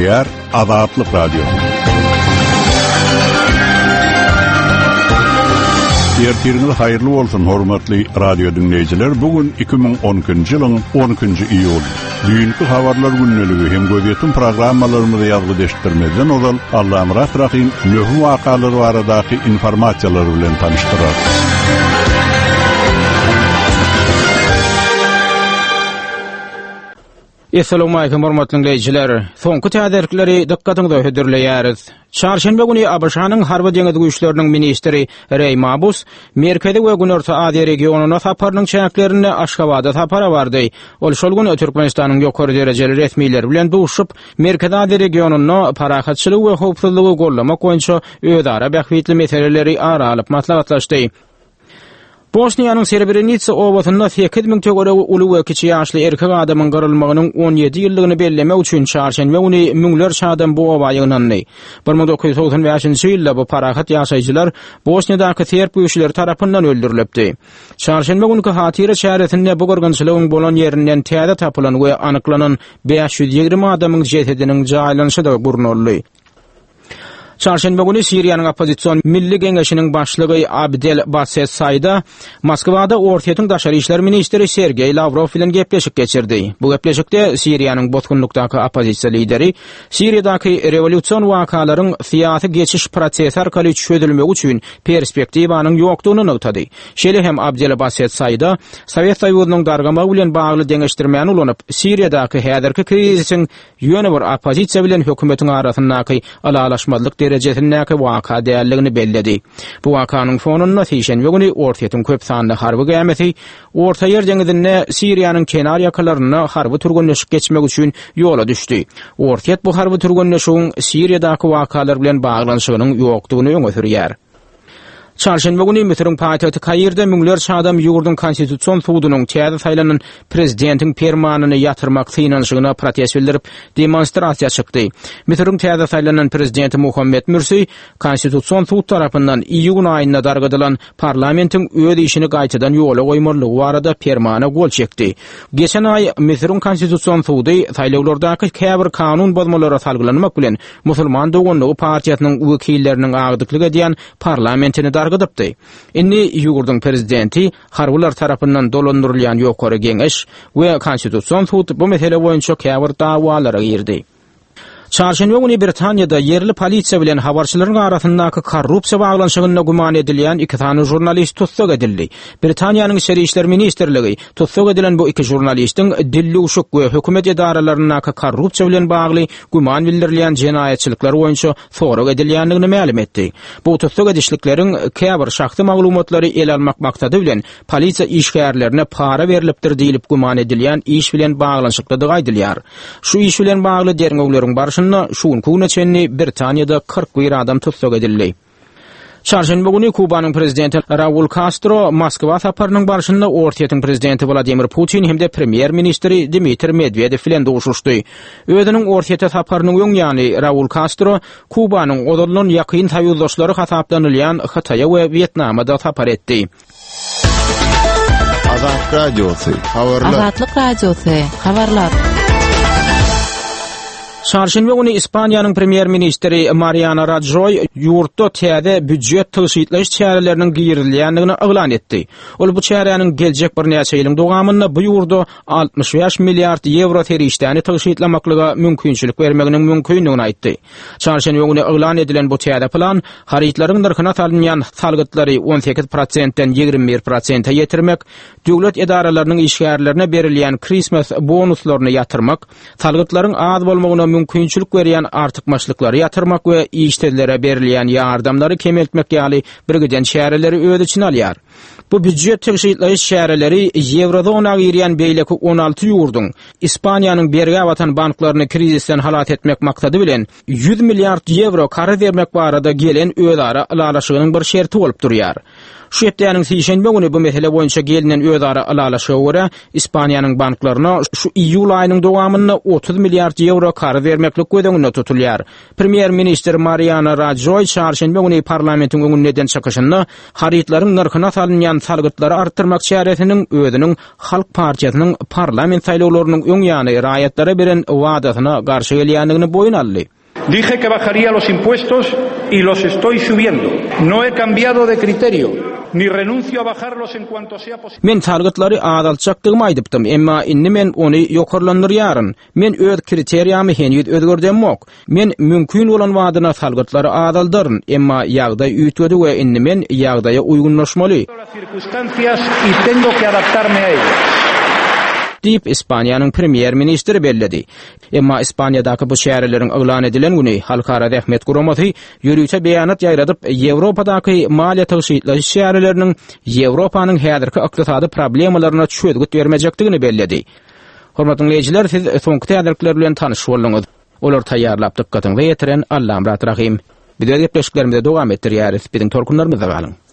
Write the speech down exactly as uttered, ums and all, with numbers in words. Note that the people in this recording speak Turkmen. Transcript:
Gepleýär Azatlyk Radiosy. Ertiriňiz haýyrly bolsun hormatly radio dinleýjiler. Bu gün iki müň on ikinji ýylyň on ikinji iýuly. Düýnki habarlar gündeligi hem gözýetim programmalarymyzy ýazgy ozal Allamyrat Rahim möhüm wakalar baradaky informasiýalar bilen tanyşdyrar. Esselamu aleyküm hormatly dinleýjiler. Soňky täzelikleri dykgatyňyza hödürleýäris. Çarşenbe güni A B Ş-nyň Harby Deňiz Güýçleriniň ministri Reý Mabus Merkezi we Günorta Aziýa regionyna saparynyň çäklerinde Aşgabada sapara bardy. Ol şol gün Türkmenistanyň ýokary derejeli resmileri bilen duşup, Merkezi Aziýa regionynda parahatçylygy we howpsuzlygy gollamak boýunça özara bähbitli meseleleri ara alyp maslahatlaşdy. Bosniýanyň Srebrenica obasynda sekiz müň töweregi uly we kiçi ýaşly erkek adamyň gyrylmagynyň on ýedi ýyllygyny bellemek üçin çarşenbe güni müňlerçe adam bu oba ýygnandy. Bir müň dokuz ýüz togsan bäşinji ýylda bu parahat ýaşaýjylar Bosniýadaky serb güýçleri tarapyndan öldürilipdi. Çarşenbe günki hatyra çäresinde bu gyrgynçylygyň bolan ýerinden täze tapylan we anyklanan bäş ýüz ýigrimi adamyň jesediniň jaýlanyşy da gurnaldy. Çarşenbe günü Siriýanyň oppozision Milli Geňeşiniň başlygy Abdel Basset Saýda Moskwada Orsýetiň daşary işler ministri Sergeý Lavrov bilen gepleşik geçirdi. Bu gepleşikde Siriýanyň bosgunlykdaky oppozisiýa lideri Siriýadaky rewolýusion wakalaryň syýasy geçiş prosesi arkaly çözülmegi üçin perspektiwanyň ýokdugyny nygtady. Şeýle hem Abdel Basset Saýda Sowet Soýuzynyň dargamagy bilen bagly deňeşdirmäni ulanyp, Siriýadaky häzirki krizisiň ýöne bir oppozisiýa bilen hökümetiň arasyndaky ylalaşmazlyk derejesindäki waka däldigini belledi. Bu wakanyň fonunda sişenbe güni Orsýetiň köp sanly harby gämisi Orta Ýer deňizinde Siriýanyň kenar ýakalarynda harby türgenleşik geçmek üçin ýola düşdi. Orsýet bu harby türgenleşigiň Siriýadaky wakalar bilen baglanyşygynyň ýokdugyny öňe sürýär. Çarşenbe güni Müsüriň paýtagty Kairde müňlerçe adam ýurduň konstitusion sudunyň täze saýlanan prezidentiň permanyny ýatyrmak synanyşygyna protest bildirip demonstrasiýa çykdy. Müsüriň täze saýlanan prezidenti Muhammed Mürsi konstitusion sud tarapyndan iýun aýynda dargadylan parlamentiň öz işini gaýtadan ýola goýmalygy barada permana gol çekdi. Geçen aý Müsüriň konstitusion sudy saýlawlardaky käbir kanun bozmalara salgylanmak bilen Musulman doganlygy partiýasynyň wekilleriniň agdyklyk edýän parlamentini dargadypdy. Indi ýurduň prezidenti harbylar tarapyndan dolandyrylýan ýokary geňeş we konstitusion sud bu mesele boýunça käbir dawalara girdi. Çarşenbe güni Britaniýada ýerli polisiýa bilen habarçylaryň arasyndaky korrupsiýa baglanyşygynda güman edilýän iki sany jurnalist tussag edildi. Britaniýanyň Içeri işler ministrligi tussag edilen bu iki jurnalistiň dilluşuk we hökümet edaralaryndaky korrupsiýa bilen bagly güman bildirilýän jenaýatçylyklar boýunça sorag edilýändigini mälim etdi. Bu tussag edişlikleriň käbir şahsy maglumatlary el almak maksady bilen polisiýa işgärlerine para berilipdir diýilip güman edilýän iş bilen baglanyşyklydygy aýdylýar. Şu iş bilen bagly derňewleriň barşynda şu günki güne çenli Britaniýada kyrk bir adam tussag edildi. Çarşenbe güni Kubanyň prezidenti Raul Castro Moskwa saparynyň barşynda Orsýetiň prezidenti Wladimir Putin hem-de premýer ministri Dmitri Medvedev bilen duşuşdy. Özüniň Orsýete saparynyň öň ýany Raul Castro Kubanyň ozaldan ýakyn soýuzdaşlary hasaplanylýan Hytaýa we Wýetnama da sapar etdi. Azatlyk Radiosy, habarlar. Azatlyk Radiosy, habarlar. Çarşenbe güni Ispaniýanyň premýer-ministri Mariano Rajoy ýurtda täze býujet tygşytlaýyş çäreleriniň girizilýändigini yglan etdi. Ol bu çäräniň geljek birnäçe ýylyň dowamynda bu ýurda altmyş bäş milliard ýewro serişdäni tygşytlamaklyga mümkinçilik bermeginiň mümkindigini aýtdy. Çarşenbe güni yglan edilen bu täze plan harytlaryň nyrhyna salynýan salgytlary on sekiz prosentden ýigrimi bir prosente ýetirmek, döwlet edaralarynyň işgärlerine berilýän Christmas bonuslaryny ýatyrmak, salgytlaryň az bolmagyna mümkinçilik berýän artykmaçlyklary ýatyrmak we işsizlere berilýän ýardamlary kemeltmek ýaly birgiden çäreleri öz içine alýar. Bu býujet tygşytlaýyş çäreleri Ýewrozona girýän beýleki on alty ýurduň Ispaniýanyň bergä batan banklaryny krizisden halas etmek maksady bilen ýüz milliard ýewro karz bermek barada gelen özara ylalaşygynyň bir şerti bolup durýar. Şu hepdäniň sişenbe güni bu mesele boýunça gelinen özara ylalaşyga görä, Ispaniýanyň banklaryna şu iýul aýynyň dowamynda otuz milliard ýewro karz bermeklik göz öňünde tutulýar. Premýer-ministr Mariano Rajoý çarşenbe güni parlamentiň öňünde eden çykyşynda harytlaryň nyrhyna salynýan salgytlary artdyrmak çäresiniň özüniň Halk partiýasynyň parlament saýlawlarynyň öň ýany raýatlara beren wadasyna garşy gelýändigini boýun aldy. Dije que bajaría los impuestos y los estoy subiendo. No he cambiado de criterio, ni renuncio a bajarlos en cuanto sea posible. Men salgytlary azaltjakdygymy aýdypdym, emma indi men ony ýokarlandyrýaryn. Men öz kriteriýamy heniz özgerdemok. Men mümkin bolan wadyna salgytlary azaldaryn, emma ýagdaý üýtgedi we indi men ýagdaýa uýgunlaşmaly. Las circunstancias y tengo que adaptarme a ellas. Diýip, Ispaniýanyň premýer-ministri belledi. Emma Ispaniýadaky bu çäreleriň yglan edilen güni Halkara Zähmet Guramasy ýörite beýanat ýaýradyp, Ýewropadaky maliýe tygşytlaýyş çäreleriniň Ýewropanyň häzirki ykdysady problemalaryna çözgüt bermejekdigini belledi. Hormatly dinleýjiler, siz soňky täzelikler bilen tanyş bolduňyz. Olar taýýarlap dykgatyňyza ýetiren Allamyrat Rahym. Biz öz gepleşiklerimizi dowam etdirýäris. Biziň tolkunlarymyzda galyň.